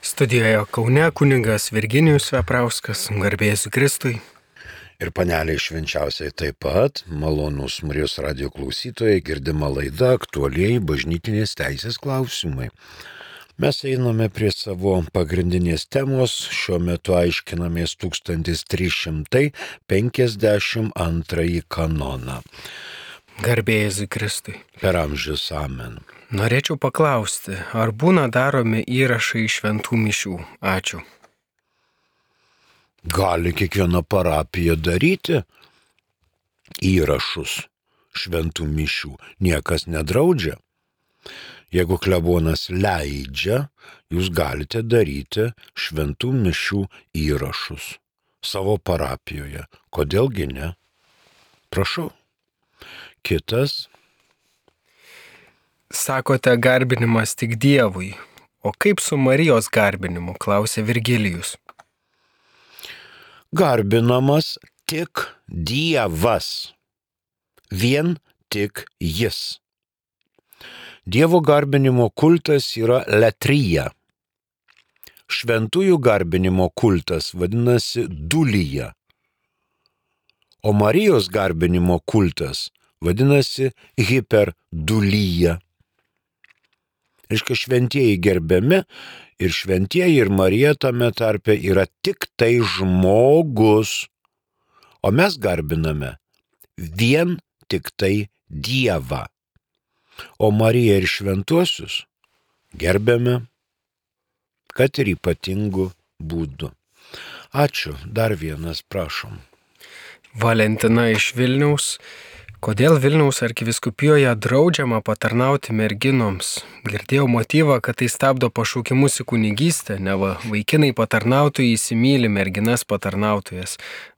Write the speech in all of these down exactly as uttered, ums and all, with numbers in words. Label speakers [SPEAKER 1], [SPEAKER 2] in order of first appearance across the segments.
[SPEAKER 1] Studijoje Kaune kunigas Virginijus Veprauskas, garbės Kristui.
[SPEAKER 2] Ir paneliai švenčiausiai taip pat, malonūs Marijos radijo klausytojai, girdima laida aktualiai bažnytinės teisės klausimai. Mes einame prie savo pagrindinės temos, šiuo metu aiškinamės tūkstantis trys šimtai penkiasdešimt antrąjį kanoną.
[SPEAKER 1] Garbės Kristui.
[SPEAKER 2] Per amžius amen.
[SPEAKER 1] Norėčiau paklausti, ar būna daromi įrašai šventų mišių? Ačiū.
[SPEAKER 2] Gali kiekviena parapija daryti įrašus šventų mišių. Niekas nedraudžia. Jeigu klebonas leidžia, jūs galite daryti šventų mišių įrašus savo parapijoje. Kodėlgi ne? Prašau. Kitas.
[SPEAKER 1] Sakote garbinimas tik Dievui. O kaip su Marijos garbinimu, klausė Virgilijus.
[SPEAKER 2] Garbinamas tik Dievas. Vien tik Jis. Dievo garbinimo kultas yra letrija. Šventųjų garbinimo kultas vadinasi dulyja. O Marijos garbinimo kultas vadinasi hiperdulyja. Reiškia, šventieji gerbiami ir šventieji ir Marija tame tarpe yra tik tai žmogus. O mes garbiname vien tik tai Dievą. O Mariją ir šventuosius gerbiame, kad ir ypatingų būdų. Ačiū. Dar vienas, prašom.
[SPEAKER 1] Valentina iš Vilniaus. Kodėl Vilniaus arkivyskupijoje draudžiama patarnauti merginoms? Girdėjau motyvą, kad tai stabdo pašaukimus į kunigystę, neva vaikinai patarnautojai įsimyli merginas patarnautojas.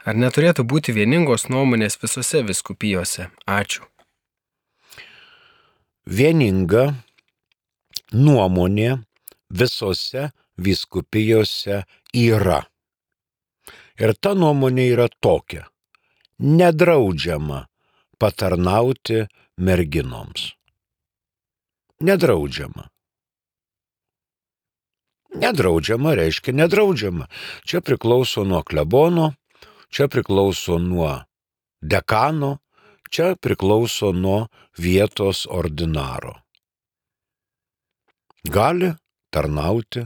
[SPEAKER 1] Ar neturėtų būti vieningos nuomonės visose vyskupijose? Ačiū.
[SPEAKER 2] Vieninga nuomonė visose vyskupijose yra. Ir ta nuomonė yra tokia. Nedraudžiama patarnauti merginoms. Nedraudžiama. Nedraudžiama reiškia nedraudžiama. Čia priklauso nuo klebono, čia priklauso nuo dekano, čia priklauso nuo vietos ordinaro. Gali tarnauti,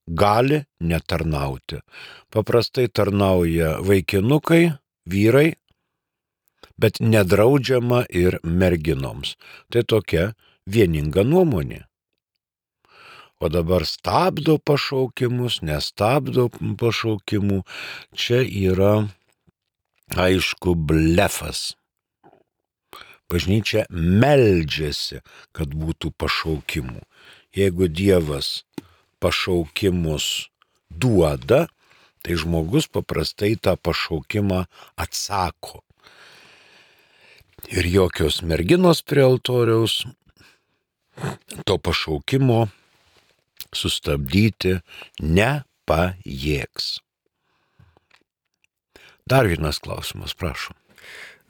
[SPEAKER 2] gali netarnauti. Paprastai tarnauja vaikinukai, vyrai, bet nedraudžiama ir merginoms. Tai tokia vieninga nuomonė. O dabar stabdo pašaukimus, nestabdo pašaukimų. Čia yra, aišku, blefas. Bažnyčia meldžiasi, kad būtų pašaukimų. Jeigu Dievas pašaukimus duoda, tai žmogus paprastai tą pašaukimą atsako. Ir jokios merginos prie altoriaus to pašaukimo sustabdyti nepajėgs. Dar vienas klausimas, prašom.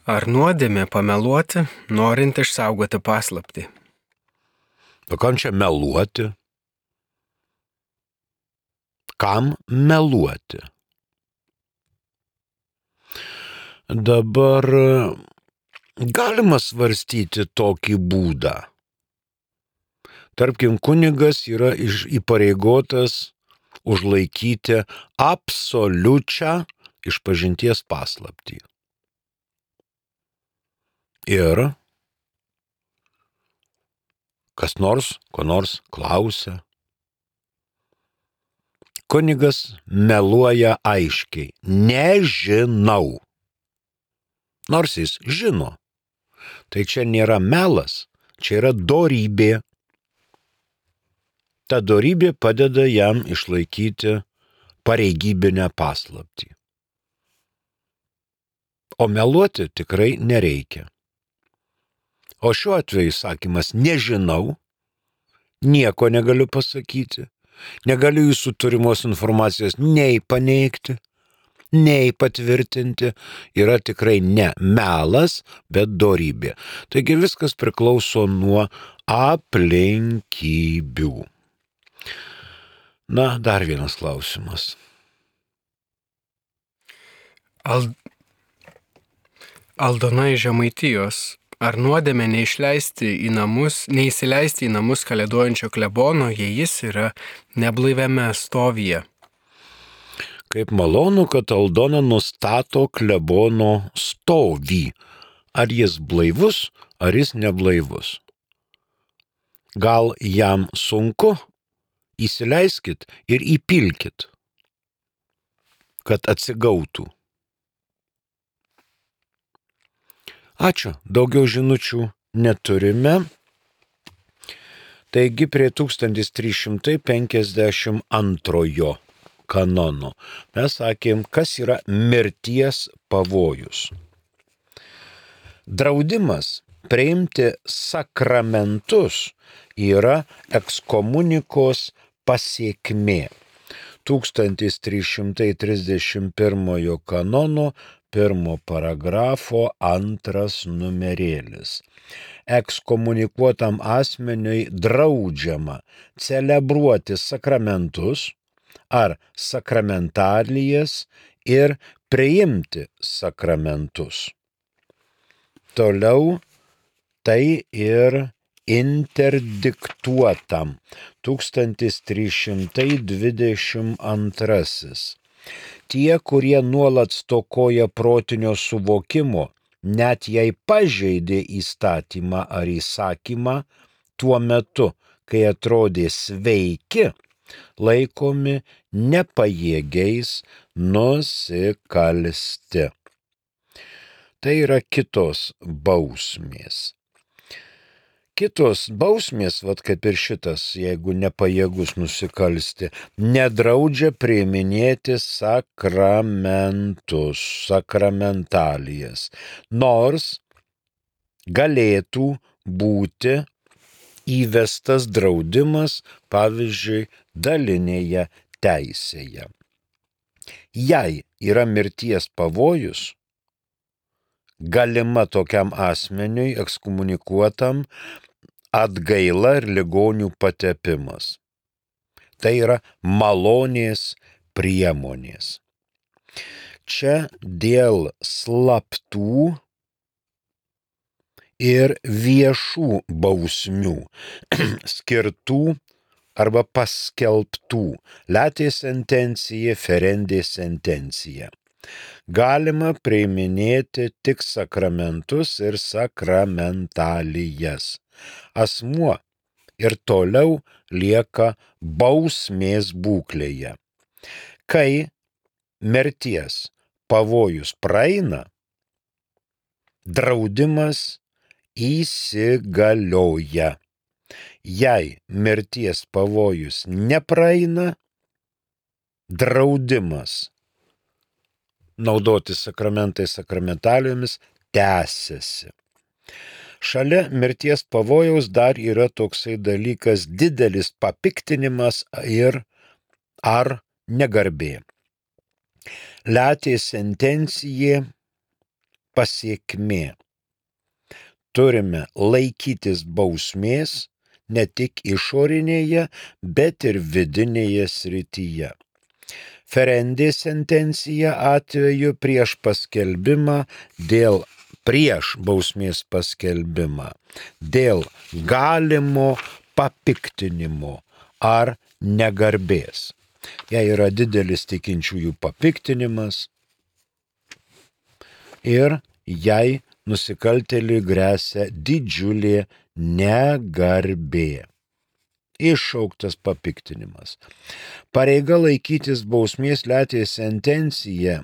[SPEAKER 1] Ar nuodėmė pameluoti, norint išsaugoti paslaptį?
[SPEAKER 2] O kam čia meluoti? Kam meluoti? Dabar galima svarstyti tokį būdą. Tarkim, kunigas yra įpareigotas užlaikyti absoliučią išpažinties paslaptį. Ir kas nors, ko nors klausia. Kunigas meluoja aiškiai. Nežinau. Nors jis žino. Tai čia nėra melas, čia yra dorybė. Ta dorybė padeda jam išlaikyti pareigybinę paslaptį. O meluoti tikrai nereikia. O šiuo atveju sakymas nežinau, nieko negaliu pasakyti, negaliu jūsų turimos informacijos nei paneigti, nei patvirtinti, yra tikrai ne melas, bet dorybė. Taigi viskas priklauso nuo aplinkybių. Na, dar vienas klausimas.
[SPEAKER 1] Al... Aldona iš Žemaitijos. Ar nuodėmė neišleisti į namus, neįsileisti į namus kalėdojančio klebono, jei jis yra neblaiviame stovyje?
[SPEAKER 2] Kaip malonu, kad Aldona nustato klebono stovį. Ar jis blaivus, ar jis neblaivus? Gal jam sunku? Įsileiskit ir įpilkit, kad atsigautų. Ačiū, daugiau žinučių neturime. Taigi prie tūkstantis trys šimtai penkiasdešimt antrojo kanono mes sakėm, kas yra mirties pavojus. Draudimas priimti sakramentus yra ekskomunikos pasiekmė. tūkstantis trys šimtai trisdešimt pirmojo kanono pirmo paragrafo antras numerėlis. Ekskomunikuotam asmeniui draudžiama celebruoti sakramentus ar sakramentalijas ir priimti sakramentus. Toliau tai ir interdiktuotam tūkstantis trys šimtai dvidešimt antrasis. Tie, kurie nuolat stokoja protinio suvokimo, net jei pažeidė įstatymą ar įsakymą, tuo metu, kai atrodė sveiki, laikomi nepajėgiais nusikalsti. Tai yra kitos bausmės. Kitos bausmės, vat kaip ir šitas, jeigu nepajėgus nusikalsti, nedraudžia priiminėti sakramentus, sakramentalijas, nors galėtų būti įvestas draudimas, pavyzdžiui, dalinėje teisėje. Jei yra mirties pavojus, galima tokiam asmeniui ekskomunikuotam atgaila ir ligonių patepimas. Tai yra malonės priemonės. Čia dėl slaptų ir viešų bausmių skirtų arba paskelbtų letė sentencija, ferendė sentencija. Galima priiminėti tik sakramentus ir sakramentalijas. Asmuo ir toliau lieka bausmės būklėje. Kai mirties pavojus praeina, draudimas įsigalioja. Jei mirties pavojus nepraeina, draudimas naudoti sakramentais, sakramentalijomis tęsiasi. Šalia mirties pavojaus dar yra toksai dalykas didelis papiktinimas ir ar negarbė. Letė sentencija pasiekmė. Turime laikytis bausmės ne tik išorinėje, bet ir vidinėje srityje. Ferendė sentencija atveju prieš paskelbimą dėl prieš bausmės paskelbimą, dėl galimo papiktinimo ar negarbės. Jei yra didelis tikinčiųjų papiktinimas ir jei nusikaltėliui gresia didžiulė negarbė. Iššauktas papiktinimas. Pareiga laikytis bausmės letė sentencija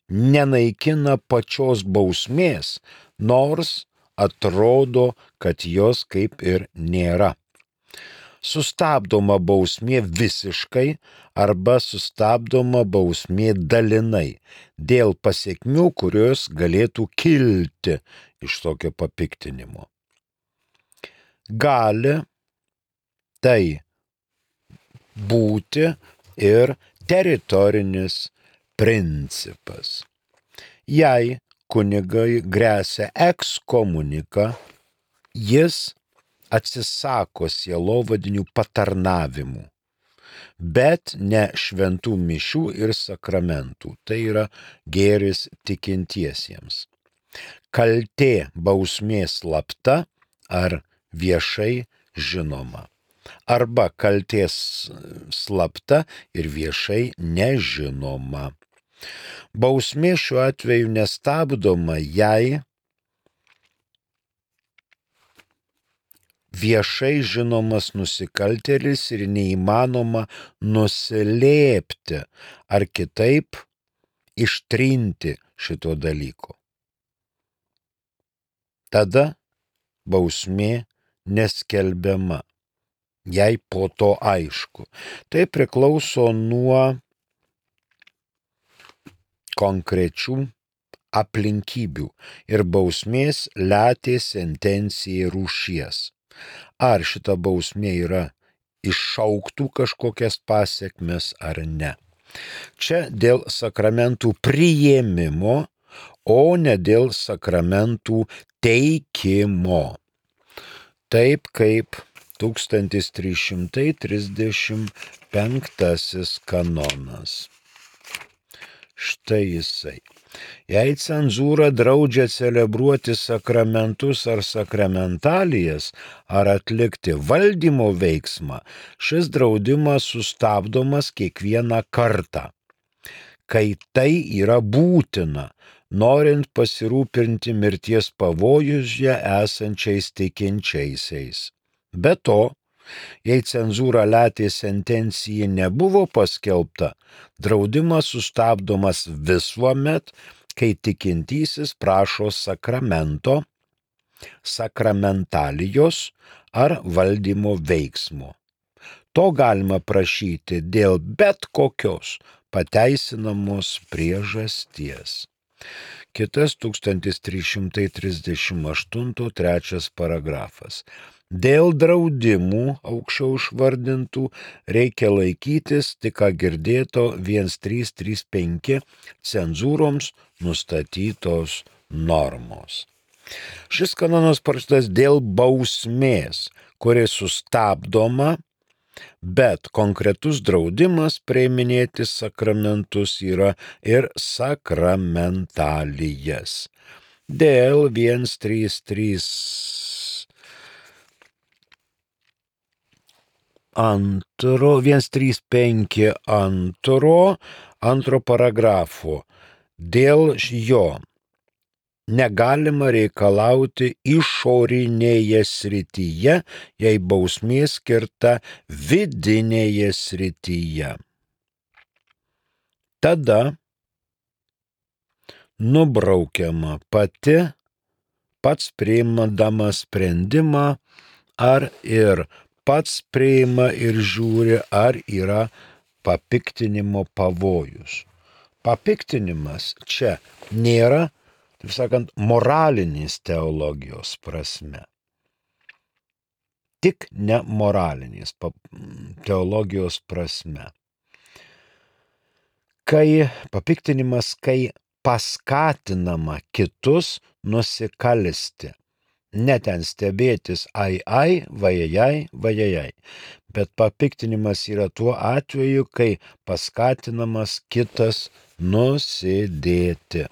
[SPEAKER 2] nenaikina pačios bausmės, nors atrodo, kad jos kaip ir nėra. Sustabdoma bausmė visiškai arba sustabdoma bausmė dalinai dėl pasekmių, kurios galėtų kilti iš tokio papiktinimo. Gali tai būti ir teritorinis principas. Jei kunigai gresia ekskomunika, jis atsisako sielovadinių patarnavimų. bet ne šventų mišių ir sakramentų. Tai yra gėris tikintiesiems. Kaltė bausmė slapta ar viešai žinoma. Arba kaltės slapta ir viešai nežinoma. Bausmė šiuo atveju nestabdoma, jei viešai žinomas nusikaltėlis ir neįmanoma nuslėpti ar kitaip ištrinti šito dalyko. Tada bausmė neskelbiama, jei po to aišku. Tai priklauso nuo konkrečių aplinkybių ir bausmės letės sentencijai rūšies. Ar šita bausmė yra iššauktų kažkokias pasekmes ar ne. Čia dėl sakramentų priėmimo, o ne dėl sakramentų teikimo. Taip kaip tūkstantis trys šimtai trisdešimt penktasis kanonas. Štai jisai. Jei cenzūra draudžia celebruoti sakramentus ar sakramentalijas, ar atlikti valdymo veiksmą, šis draudimas sustabdomas kiekvieną kartą, kai tai yra būtina, norint pasirūpinti mirties pavojuje esančiais tikinčiaisiais. Be to, jei cenzūra letės sentencijai nebuvo paskelbta, draudimas sustabdomas visuomet, kai tikintysis prašo sakramento, sakramentalijos ar valdymo veiksmo. To galima prašyti dėl bet kokios pateisinamos priežasties. Kitas tūkstantis trys šimtai trisdešimt aštuntas trečias paragrafas. Dėl draudimų aukščiau išvardintų reikia laikytis tik ką girdėto vienas trys trys penki cenzūroms nustatytos normos. Šis kanonas parašytas dėl bausmės, kuri sustabdoma, bet konkretus draudimas priiminėti sakramentus yra ir sakramentalijas. Dėl vienas trys trys Antro, vienas trys penki antro, antro paragrafo. Dėl jo negalima reikalauti išorinėje srityje, jei bausmė skirta vidinėje srityje. Tada nubraukiama pati, pats priimdamas sprendimą, ar ir pats priima ir žiūri, ar yra papiktinimo pavojus. Papiktinimas čia nėra, taip sakant, moralinės teologijos prasme. Tik ne moralinės teologijos prasme. Kai papiktinimas, kai paskatinama kitus nusikalsti. Ne ten stebėtis ai ai, vajajai, vajajai. Bet papiktinimas yra tuo atveju, kai paskatinamas kitas nusidėti.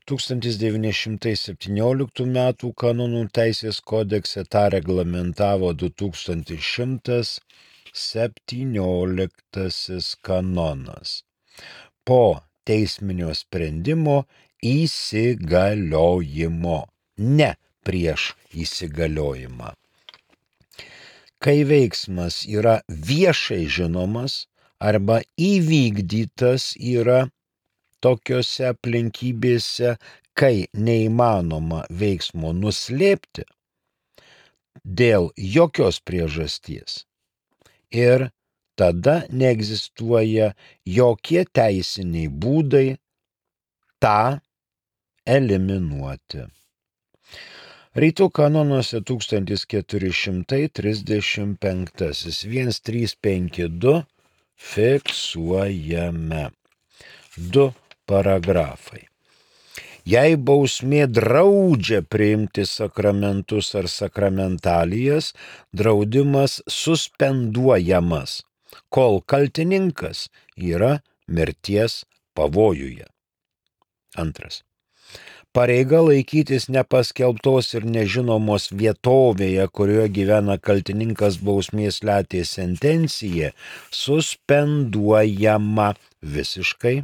[SPEAKER 2] tūkstantis devyni šimtai septynioliktų metų kanonų teisės kodekse tą reglamentavo du tūkstantis šimtas septynioliktasis kanonas. Po teisminio sprendimo įsigaliojimo, ne prieš įsigaliojimą. Kai veiksmas yra viešai žinomas arba įvykdytas yra tokiose aplinkybėse, kai neįmanoma veiksmo nuslėpti dėl jokios priežasties ir tada neegzistuoja jokie teisiniai būdai tą eliminuoti. Rytų kanonuose tūkstantis keturi šimtai trisdešimt penktasis vienas trys penki du fiksuojame. Du paragrafai. Jei bausmė draudžia priimti sakramentus ar sakramentalijas, draudimas suspenduojamas. kol kaltininkas yra mirties pavojuje. Antras. Pareiga laikytis nepaskelbtos ir nežinomos vietovėje, kurioje gyvena kaltininkas bausmės letės sentencija, suspenduojama visiškai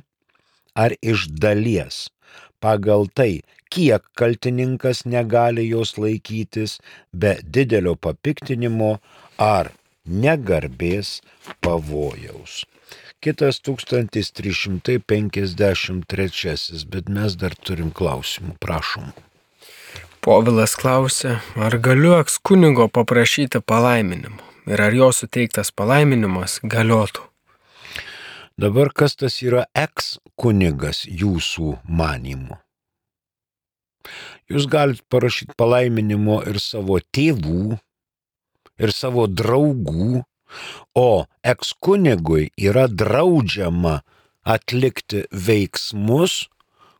[SPEAKER 2] ar iš dalies pagal tai, kiek kaltininkas negali jos laikytis be didelio papiktinimo ar negarbės pavojaus. Kitas tūkstantis trys šimtai penkiasdešimt trečiasis, bet mes dar turim klausimų, prašom.
[SPEAKER 1] Povilas klausia, ar galiu ekskunigo paprašyti palaiminimo ir ar jo suteiktas palaiminimas galiotų.
[SPEAKER 2] Dabar kas tas yra ekskunigas jūsų manymu? Jūs galite parašyti palaiminimo ir savo tėvų, ir savo draugų, o ekskunigui yra draudžiama atlikti veiksmus,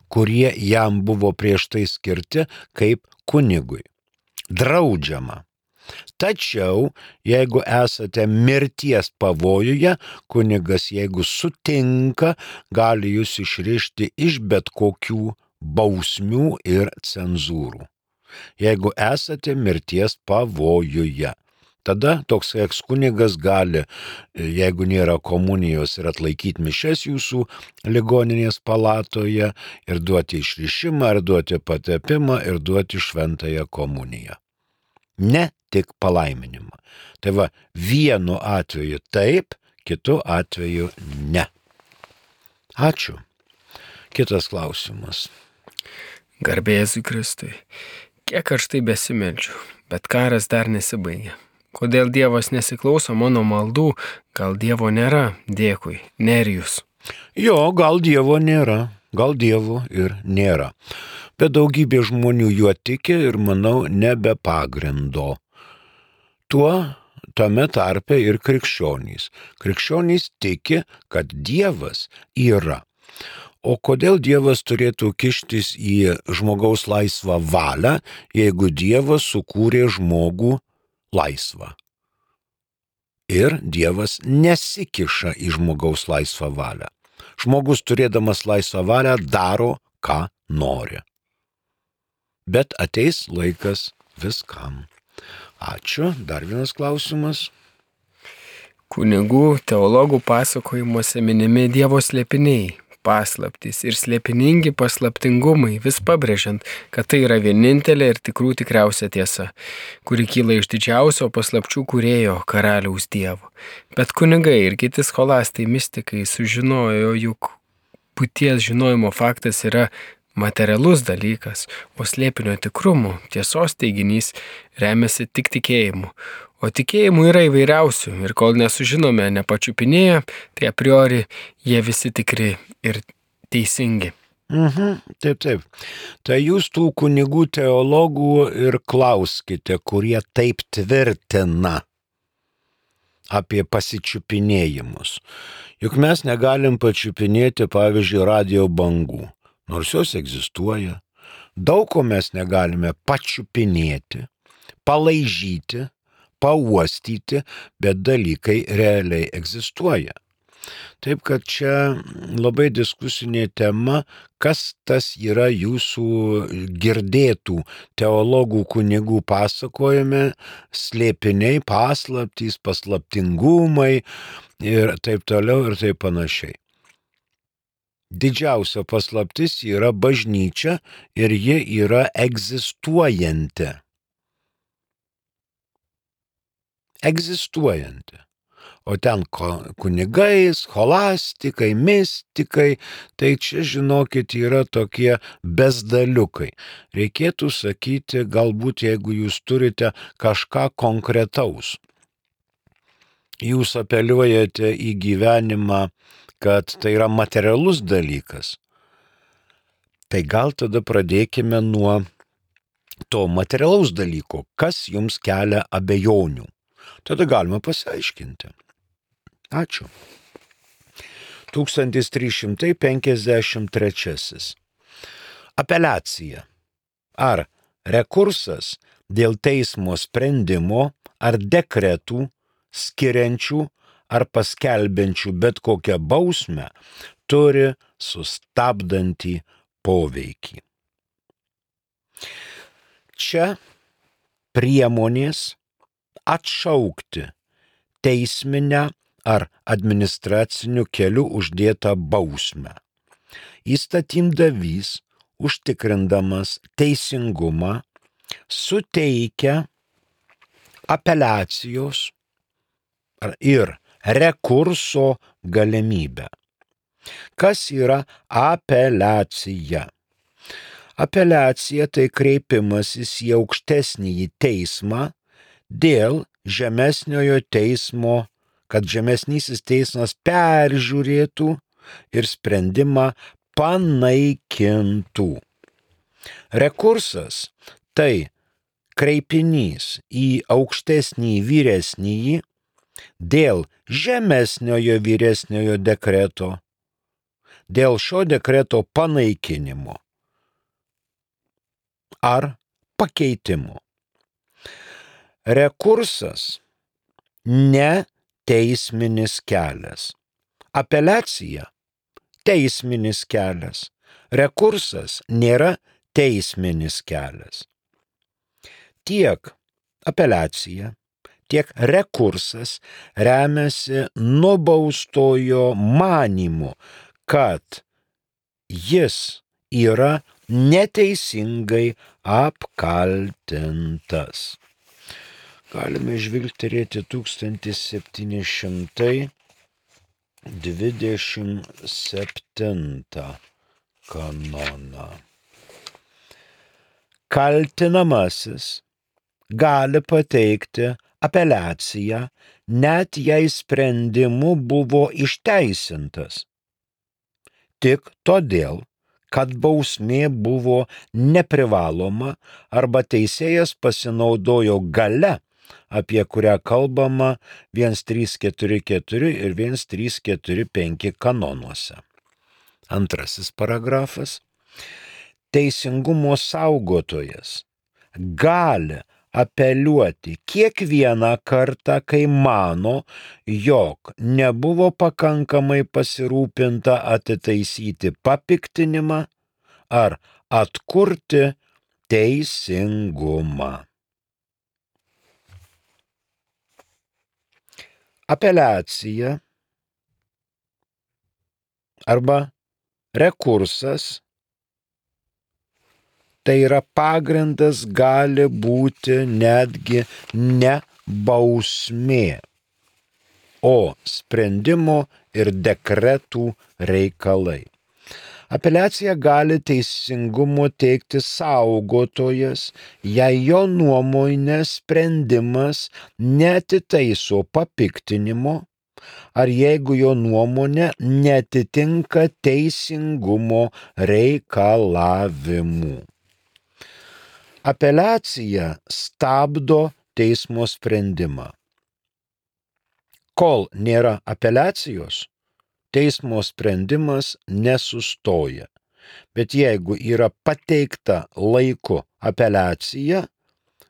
[SPEAKER 2] kurie jam buvo prieš tai skirti kaip kunigui. Draudžiama. Tačiau, jeigu esate mirties pavojuje, kunigas, jeigu sutinka, gali jūs išrišti iš bet kokių bausmių ir cenzūrų. Jeigu esate mirties pavojuje. Tada toks ekskunigas gali, jeigu nėra komunijos, ir atlaikyti mišias jūsų ligoninės palatoje, ir duoti išrišimą, ir duoti patepimą, ir duoti šventąją komuniją. Ne tik palaiminimą. Tai va, vienu atveju taip, kitu atveju ne. Ačiū. Kitas klausimas.
[SPEAKER 1] Garbė Jėzui Kristui. Kiek aš tai besimeldžiu, bet karas dar nesibaigė. Kodėl Dievas nesiklauso mano maldų? Gal Dievo nėra? Dėkui. Nerijus.
[SPEAKER 2] Jo, gal Dievo nėra. Gal Dievo ir nėra. Bet daugybė žmonių juo tiki ir, manau, ne be pagrindo. Tuo tame tarpe ir krikščionys. Krikščionys tiki, kad Dievas yra. O kodėl Dievas turėtų kištis į žmogaus laisvą valią, jeigu Dievas sukūrė žmogų laisvą? Ir Dievas nesikiša į žmogaus laisvą valią. Žmogus turėdamas laisvą valią daro, ką nori. Bet ateis laikas viskam. Ačiū. Dar vienas klausimas.
[SPEAKER 1] Kunigų, teologų pasakojimuose minimi Dievo slėpiniai, paslaptys ir slėpiningi paslaptingumai, vis pabrėžiant, kad tai yra vienintelė ir tikrų tikriausia tiesa, kuri kyla iš didžiausio paslapčių kūrėjo karaliaus Dievo. Bet kunigai ir kiti scholastai mistikai sužinojo, juk būties žinojimo faktas yra materialus dalykas, o slėpinio tikrumo, tiesos teiginys remiasi tik tikėjimu. O tikėjimų yra įvairiausių ir kol nesužinome, nepačiupinėję, tai a priori jie visi tikri ir teisingi.
[SPEAKER 2] Mhm, taip, taip. Tai jūs tų kunigų teologų ir klauskite, kurie taip tvirtina apie pasičiupinėjimus. Juk mes negalim pačiupinėti, pavyzdžiui, radio bangų, nors jos egzistuoja. Daug ko mes negalime pačiupinėti, palaižyti, pauostyti, bet dalykai realiai egzistuoja. Taip kad čia labai diskusinė tema, kas tas yra jūsų girdėtų teologų kunigų pasakojime, slėpiniai, paslaptys, paslaptingumai ir taip toliau ir taip panašiai. Didžiausia paslaptis yra bažnyčia ir ji yra egzistuojanti. Egzistuojanti. O ten kunigai, scholastikai, mistikai, tai čia, žinokit, yra tokie bezdaliukai. Reikėtų sakyti, galbūt, jeigu jūs turite kažką konkretaus. Jūs apeliuojate į gyvenimą, kad tai yra materialus dalykas. Tai gal tada pradėkime nuo to materialaus dalyko, kas jums kelia abejonių. Tada galima pasiaiškinti. Ačiū. tūkstantis trys šimtai penkiasdešimt trečiasis. Apeliacija. Ar rekursas dėl teismo sprendimo ar dekretų skiriančių ar paskelbiančių bet kokią bausmę turi sustabdantį poveikį. Čia priemonės atšaukti teisminę ar administraciniu keliu uždėtą bausmę. Įstatymdavys, užtikrindamas teisingumą, suteikia apeliacijos ir rekurso galimybę. Kas yra apeliacija? Apeliacija tai kreipimasis į aukštesnįjį teismą dėl žemesniojo teismo, kad žemesnysis teismas peržiūrėtų ir sprendimą panaikintų. Rekursas tai kreipinys į aukštesnį vyresnįjį dėl žemesniojo vyresniojo dekreto, dėl šio dekreto panaikinimo ar pakeitimo. Rekursas ne teisminis kelias. Apeliacija teisminis kelias. Rekursas nėra teisminis kelias. Tiek apeliacija, tiek rekursas remiasi nubaustojo manymu, kad jis yra neteisingai apkaltintas. Galime žvilgterėti tūkstantis septyni šimtai dvidešimt septintą kanoną. Kaltinamasis gali pateikti apeliaciją, net jei sprendimu buvo išteisintas, tik todėl, kad bausmė buvo neprivaloma arba teisėjas pasinaudojo galia, apie kurią kalbama vienas trys keturi keturi ir vienas trys keturi penki kanonuose. Antrasis paragrafas. Teisingumo saugotojas gali apeliuoti kiekvieną kartą, kai mano, jog nebuvo pakankamai pasirūpinta atitaisyti papiktinimą ar atkurti teisingumą. Apeliacija arba rekursas tai yra pagrindas gali būti netgi ne bausmė, o sprendimo ir dekretų reikalai. Apeliaciją gali teisingumo teikti saugotojas, jei jo nuomonė sprendimas neatitaiso papiktinimo, ar jeigu jo nuomonė neatitinka teisingumo reikalavimų. Apeliacija stabdo teismo sprendimą. Kol nėra apeliacijos, teismo sprendimas nesustoja. Bet jeigu yra pateikta laiku apeliacija,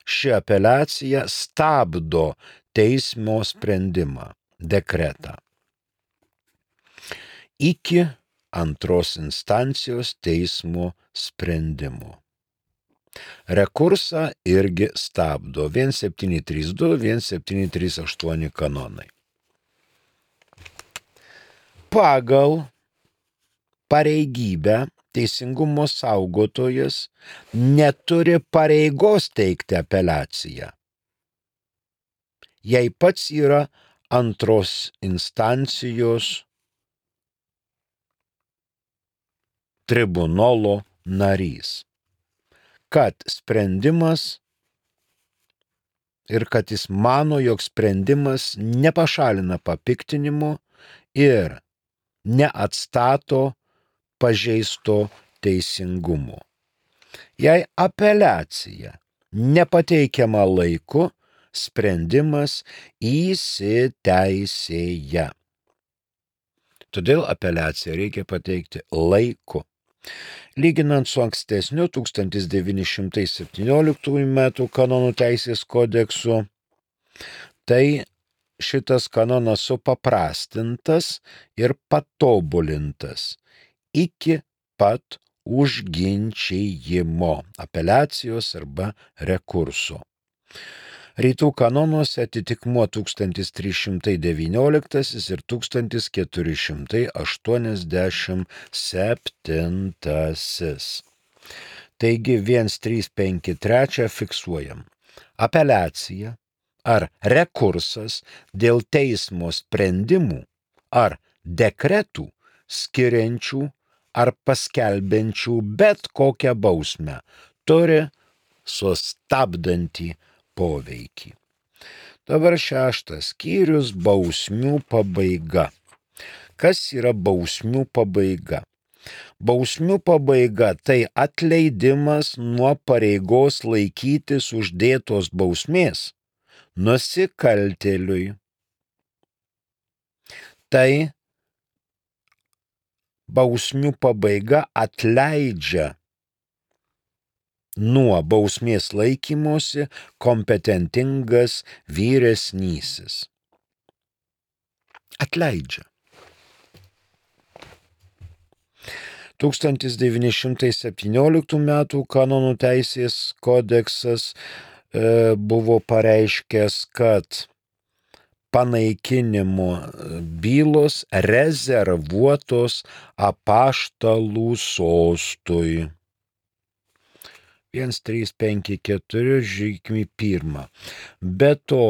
[SPEAKER 2] ši apeliacija stabdo teismo sprendimą, dekretą. Iki antros instancijos teismo sprendimo. Rekursą irgi stabdo vienas septyni trys du, vienas septyni trys aštuoni kanonai. Pagal pareigybę teisingumo saugotojas neturi pareigos teikti apeliaciją, jei pats yra antros instancijos tribunolo narys, kad sprendimas ir kad jis mano, jog sprendimas nepašalina papiktinimo ir neatstato pažeisto teisingumo. Jei apeliacija nepateikiama laiku, sprendimas įsiteisėja. Todėl apeliaciją reikia pateikti laiku. Lyginant su ankstesniu tūkstantis devyni šimtai septynioliktųjų metų kanonų teisės kodeksu, tai šitas kanonas supaprastintas ir patobulintas iki pat užginčijimo, apeliacijos arba rekurso. Rytų kanonuose atitikmuo tūkstantis trys šimtai devynioliktas ir tūkstantis keturi šimtai aštuoniasdešimt septintas. Taigi vienas trys penki trys fiksuojam. Apeliacija ar rekursas dėl teismo sprendimų ar dekretų skiriančių ar paskelbiančių bet kokią bausmę turi sustabdantį poveikį. Dabar šeštas skyrius – bausmių pabaiga. Kas yra bausmių pabaiga? Bausmių pabaiga – tai atleidimas nuo pareigos laikytis uždėtos bausmės nusikaltėliui. Tai bausmių pabaiga atleidžia nuo bausmės laikymosi kompetentingas vyresnysis. Atleidžia. tūkstantis devyni šimtai septynioliktų metų kanonų teisės kodeksas e, buvo pareiškęs, kad panaikinimo bylos rezervuotos apaštalų sostui. vienas trys penki keturi žiūrėkime pirmą. Be to,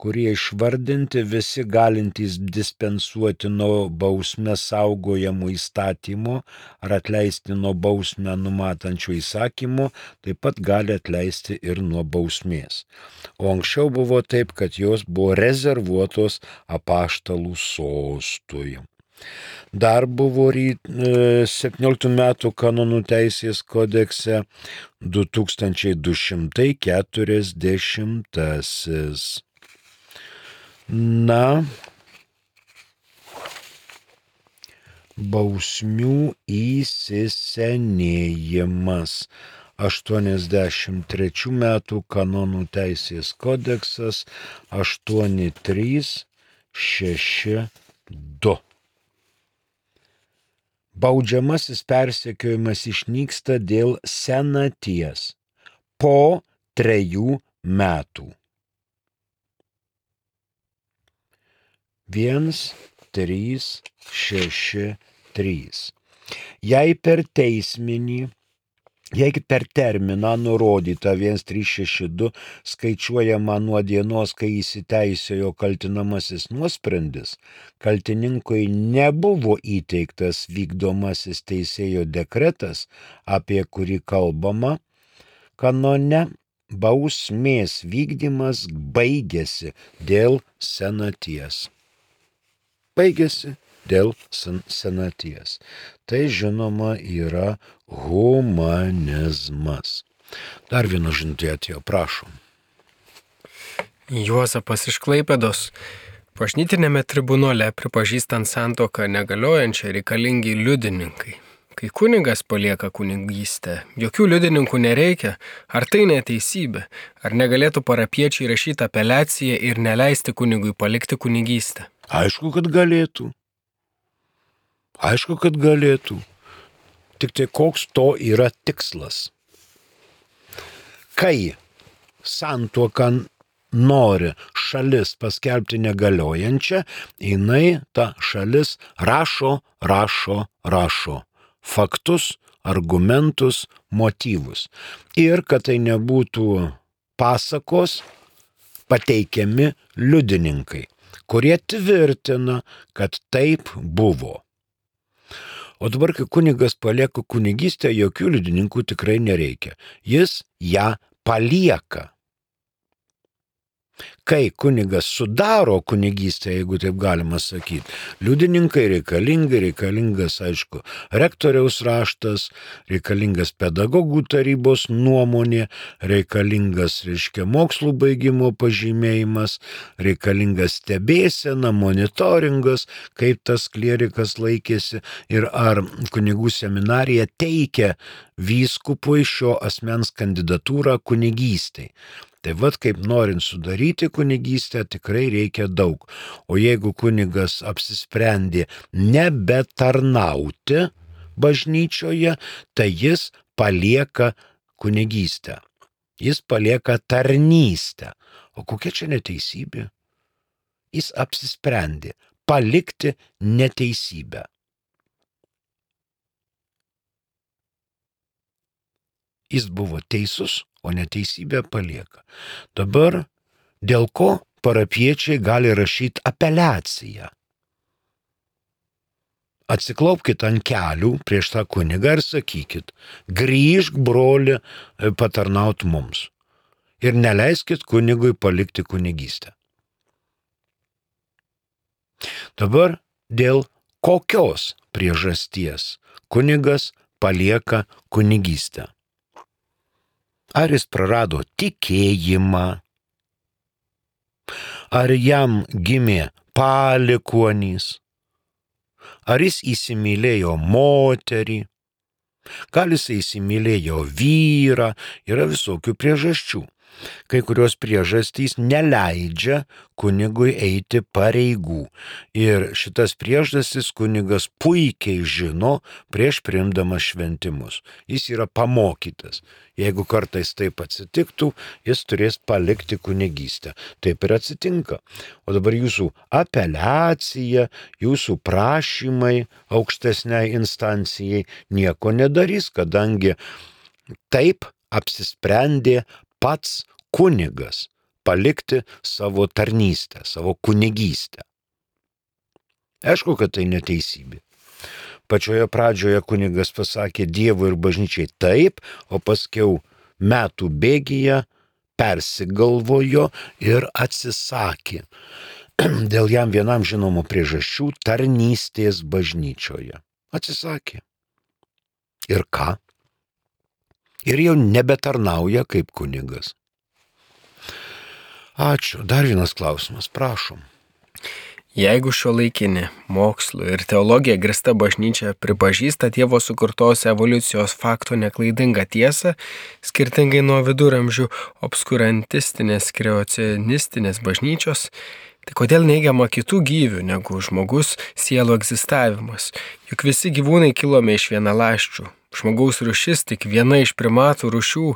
[SPEAKER 2] kurie išvardinti visi galintys dispensuoti nuo bausmę saugojamų įstatymų ar atleisti nuo bausmę numatančių įsakymų, taip pat gali atleisti ir nuo bausmės. O anksčiau buvo taip, kad jos buvo rezervuotos apaštalų sostui. Dar buvo septynioliktų metų kanonų teisės kodekse du tūkstančiai du šimtai keturiasdešimtasis. Na, bausmių įsisenėjimas. aštuoniasdešimt trečių metų kanonų teisės kodeksas aštuoni trys šeši du. Baudžiamasis persekiojimas išnyksta dėl senaties po trejų metų. vienas trys šeši trys. Jei per teisminį, jei per terminą nurodytą vienas trys šeši du skaičiuojama nuo dienos, kai įsiteisėjo kaltinamasis nuosprendis, kaltininkui nebuvo įteiktas vykdomasis teisėjo dekretas, apie kurį kalbama kanone, bausmės vykdymas baigėsi dėl senaties. Baigėsi dėl senaties. Tai žinoma yra humanizmas. Dar viena žinutė atėjo, prašom.
[SPEAKER 1] Juozapas iš Klaipėdos. Bažnytinėme tribunole pripažįstant santuoką negaliojančią reikalingi liudininkai. Kai kunigas palieka kunigystę, jokių liudininkų nereikia. Ar tai neteisybė? Ar negalėtų parapiečiai rašyti apeliaciją ir neleisti kunigui palikti kunigystę?
[SPEAKER 2] Aišku, kad galėtų. Aišku, kad galėtų. Tik tai koks to yra tikslas. Kai santuoką nori šalis paskelbti negaliojančią, jinai ta šalis rašo, rašo, rašo. Faktus, argumentus, motyvus. Ir kad tai nebūtų pasakos, pateikiami liudininkai, kurie tvirtina, kad taip buvo. O dabar, kai kunigas palieka kunigystę, jokių liudininkų tikrai nereikia. Jis ją palieka. Kai kunigas sudaro kunigystę, jeigu taip galima sakyti, liudininkai reikalingi, reikalingas, aišku, rektoriaus raštas, reikalingas pedagogų tarybos nuomonė, reikalingas, reiškia, mokslų baigimo pažymėjimas, reikalingas stebėsena, monitoringas, kaip tas klierikas laikėsi ir ar kunigų seminarija teikia vyskupui šio asmens kandidatūrą kunigystei. Tai vad kaip norint sudaryti kunigystę tikrai reikia daug. O jeigu kunigas apsisprendė nebetarnauti bažnyčioje, tai jis palieka kunigystę. Jis palieka tarnystę. O kokia čia neteisybė? Jis apsisprendė palikti neteisybę. Jis buvo teisus, o neteisybę palieka. Dabar dėl ko parapiečiai gali rašyti apeliaciją? Atsiklaupkit ant kelių prieš tą kunigą ir sakykit, grįžk, broli, patarnaut mums. Ir neleiskit kunigui palikti kunigystę. Dabar dėl kokios priežasties kunigas palieka kunigystę? Ar jis prarado tikėjimą? Ar jam gimė palikuonys? Ar jis įsimylėjo moterį? Gal jis įsimylėjo vyrą? Yra visokių priežasčių. Kai kurios priežastys neleidžia kunigui eiti pareigų. Ir šitas priežastis kunigas puikiai žino prieš priimdamas šventimus. Jis yra pamokytas. Jeigu kartais taip atsitiktų, jis turės palikti kunigystę. Taip ir atsitinka. O dabar jūsų apeliacija, jūsų prašymai aukštesniai instancijai nieko nedarys, kadangi taip apsisprendė pats kunigas palikti savo tarnystę, savo kunigystę. Aišku, kad tai neteisybė. Pačioje pradžioje kunigas pasakė Dievui ir bažnyčiai taip, o paskiau metų bėgyje persigalvojo ir atsisakė dėl jam vienam žinomų priežasčių tarnystės bažnyčioje. Atsisakė. Ir ką? Ir jau nebetarnauja kaip kunigas. Ačiū. Dar vienas klausimas, prašom.
[SPEAKER 1] Jeigu šiuolaikinė mokslu ir teologija grįsta bažnyčia pripažįsta Dievo sukurtos evoliucijos fakto neklaidingą tiesą, skirtingai nuo viduramžių obskurantistinės kreacionistinės bažnyčios, tai kodėl neigiama kitų gyvių negu žmogus sielų egzistavimas? Juk visi gyvūnai kilome iš vienaląsčių. Žmogaus rūšis tik viena iš primatų rūšių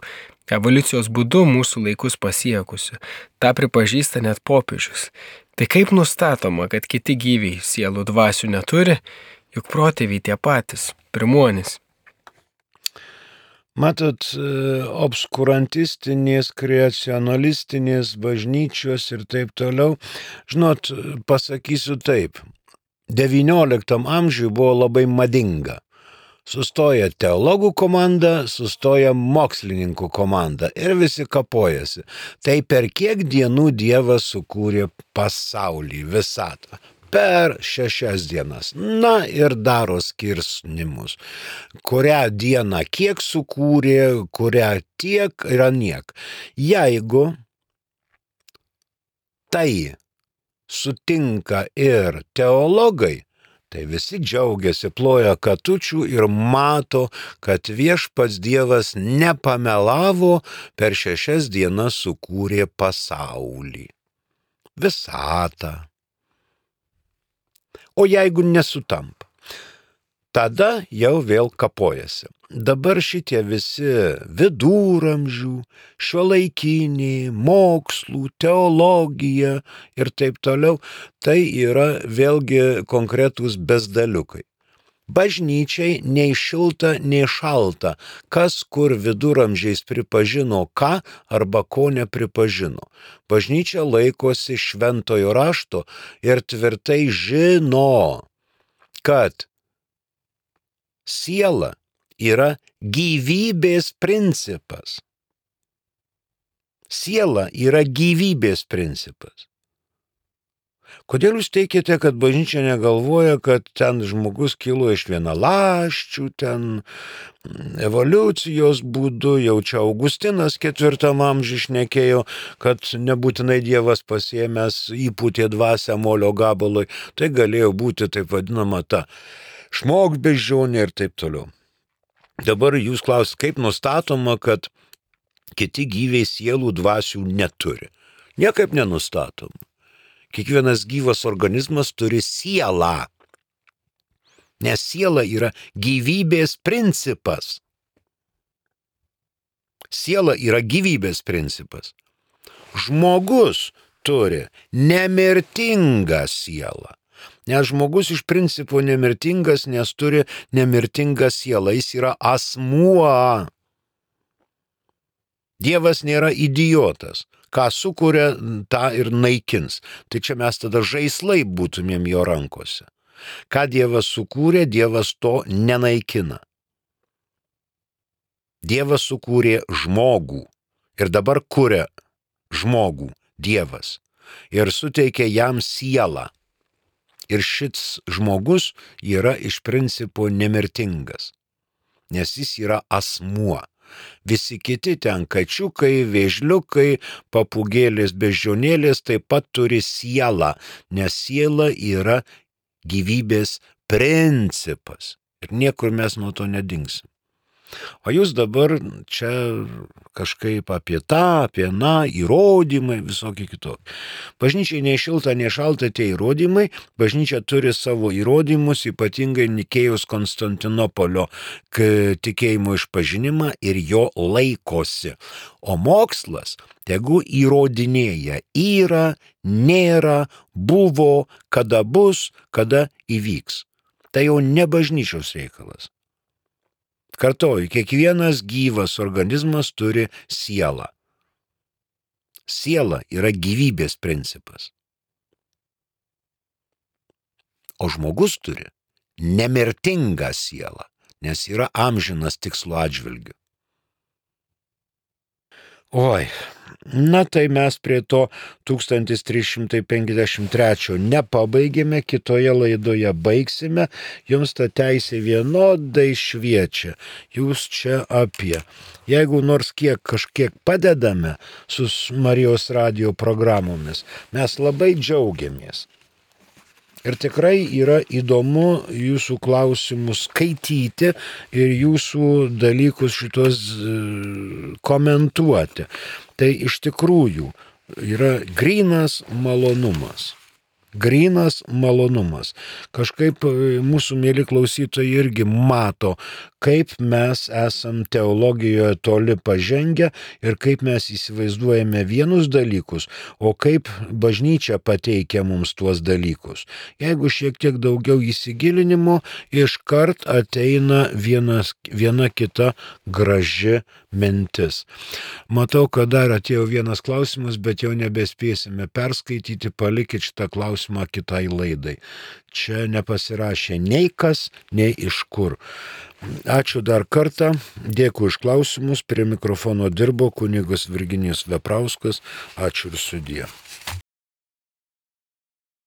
[SPEAKER 1] evoliucijos būdu mūsų laikus pasiekusių. Ta pripažįsta net popiežius. Tai kaip nustatoma, kad kiti gyviai sielų dvasių neturi, juk protėviai tie patys, pirmuonys?
[SPEAKER 2] Matot, obskurantistinės, kreacionalistinės bažnyčios ir taip toliau, žinot, pasakysiu taip, devynioliktam amžiui buvo labai madinga. Sustoja teologų komanda, sustoja mokslininkų komanda ir visi kapojasi. Tai per kiek dienų Dievas sukūrė pasaulį, visatą? Per šešias dienas. Na ir daro skirsnimus. Kurią dieną kiek sukūrė, kurią tiek ir aniek. Jeigu tai sutinka ir teologai, tai visi džiaugiasi, ploja katučių ir mato, kad viešpats Dievas nepamelavo, per šešias dienas sukūrė pasaulį, visatą. O jeigu nesutampa, tada jau vėl kapojasi. Dabar šitie visi viduramžių, šiuolaikiniai, mokslų, teologija ir taip toliau, tai yra vėlgi konkretūs bezdaliukai. Bažnyčiai nei šilta, nei šalta, kas kur viduramžiais pripažino ką arba ko nepripažino. Bažnyčia laikosi šventojo rašto ir tvirtai žino, kad siela yra gyvybės principas. Siela yra gyvybės principas. Kodėl jūs teikite, kad bažnyčia negalvoja, kad ten žmogus kilo iš vienaląsčių, ten evoliucijos būdu, jau čia Augustinas ketvirtam amžiui šnekėjo, kad nebūtinai Dievas pasiėmęs įpūtė dvasią molio gabalui, tai galėjo būti taip vadinama ta šmogbeždžionė ir taip toliau. Dabar jūs klausite, kaip nustatoma, kad kiti gyviai sielų dvasių neturi. Niekaip nenustatom. Kiekvienas gyvas organizmas turi sielą. Nes siela yra gyvybės principas. Siela yra gyvybės principas. Žmogus turi nemirtingą sielą. Nes žmogus iš principo nemirtingas, nes turi nemirtingą sielą. Jis yra asmuo. Dievas nėra idiotas. Ką sukuria, tą ir naikins. Tai čia mes tada žaislai būtumėm jo rankose. Ką Dievas sukūrė, Dievas to nenaikina. Dievas sukūrė žmogų ir dabar kuria žmogų, Dievas, ir suteikė jam sielą. Ir šis žmogus yra iš principo nemirtingas, nes jis yra asmuo. Visi kiti ten kačiukai, vėžliukai, papūgėlės, beždžionėlės taip pat turi sielą, nes siela yra gyvybės principas. Ir niekur mes nuo to nedingsim. O jūs dabar čia kažkaip apie tą, apie na, įrodymai, visokie kitokie. Bažnyčiai nei šilta, nei šalta tie įrodymai. Bažnyčia turi savo įrodymus, ypatingai Nikėjos Konstantinopolio tikėjimo išpažinimą ir jo laikosi. O mokslas tegu įrodinėja yra, nėra, buvo, kada bus, kada įvyks. Tai jau ne bažnyčios reikalas. Kartoju, kiekvienas gyvas organizmas turi sielą. Siela yra gyvybės principas. O žmogus turi nemirtingą sielą, nes yra amžinas tikslo atžvilgiu. Oi, na tai mes prie to tūkstantis trys šimtai penkiasdešimt trečio nepabaigėme, kitoje laidoje baigsime, jums ta teisė vienodai šviečia, jūs čia apie. Jeigu nors kiek kažkiek padedame su Marijos radijo programomis, mes labai džiaugiamės. Ir tikrai yra įdomu jūsų klausimus skaityti ir jūsų dalykus šitos komentuoti. Tai iš tikrųjų yra grynas malonumas. Grynas malonumas. Kažkaip mūsų mėly klausytojai irgi mato, kaip mes esam teologijoje toli pažengę ir kaip mes įsivaizduojame vienus dalykus, o kaip bažnyčia pateikia mums tuos dalykus. Jeigu šiek tiek daugiau įsigilinimo, iškart ateina vienas, viena kita graži mintis. Matau, kad dar atėjo vienas klausimas, bet jau nebespėsime perskaityti, palikit šitą klausimą kitai laidai. Čia nepasirašė nei kas, nei iš kur. Ačiū dar kartą, dėkui už klausimus, prie mikrofono dirbo kunigas Virginijus Veprauskas, ačiū ir sudie.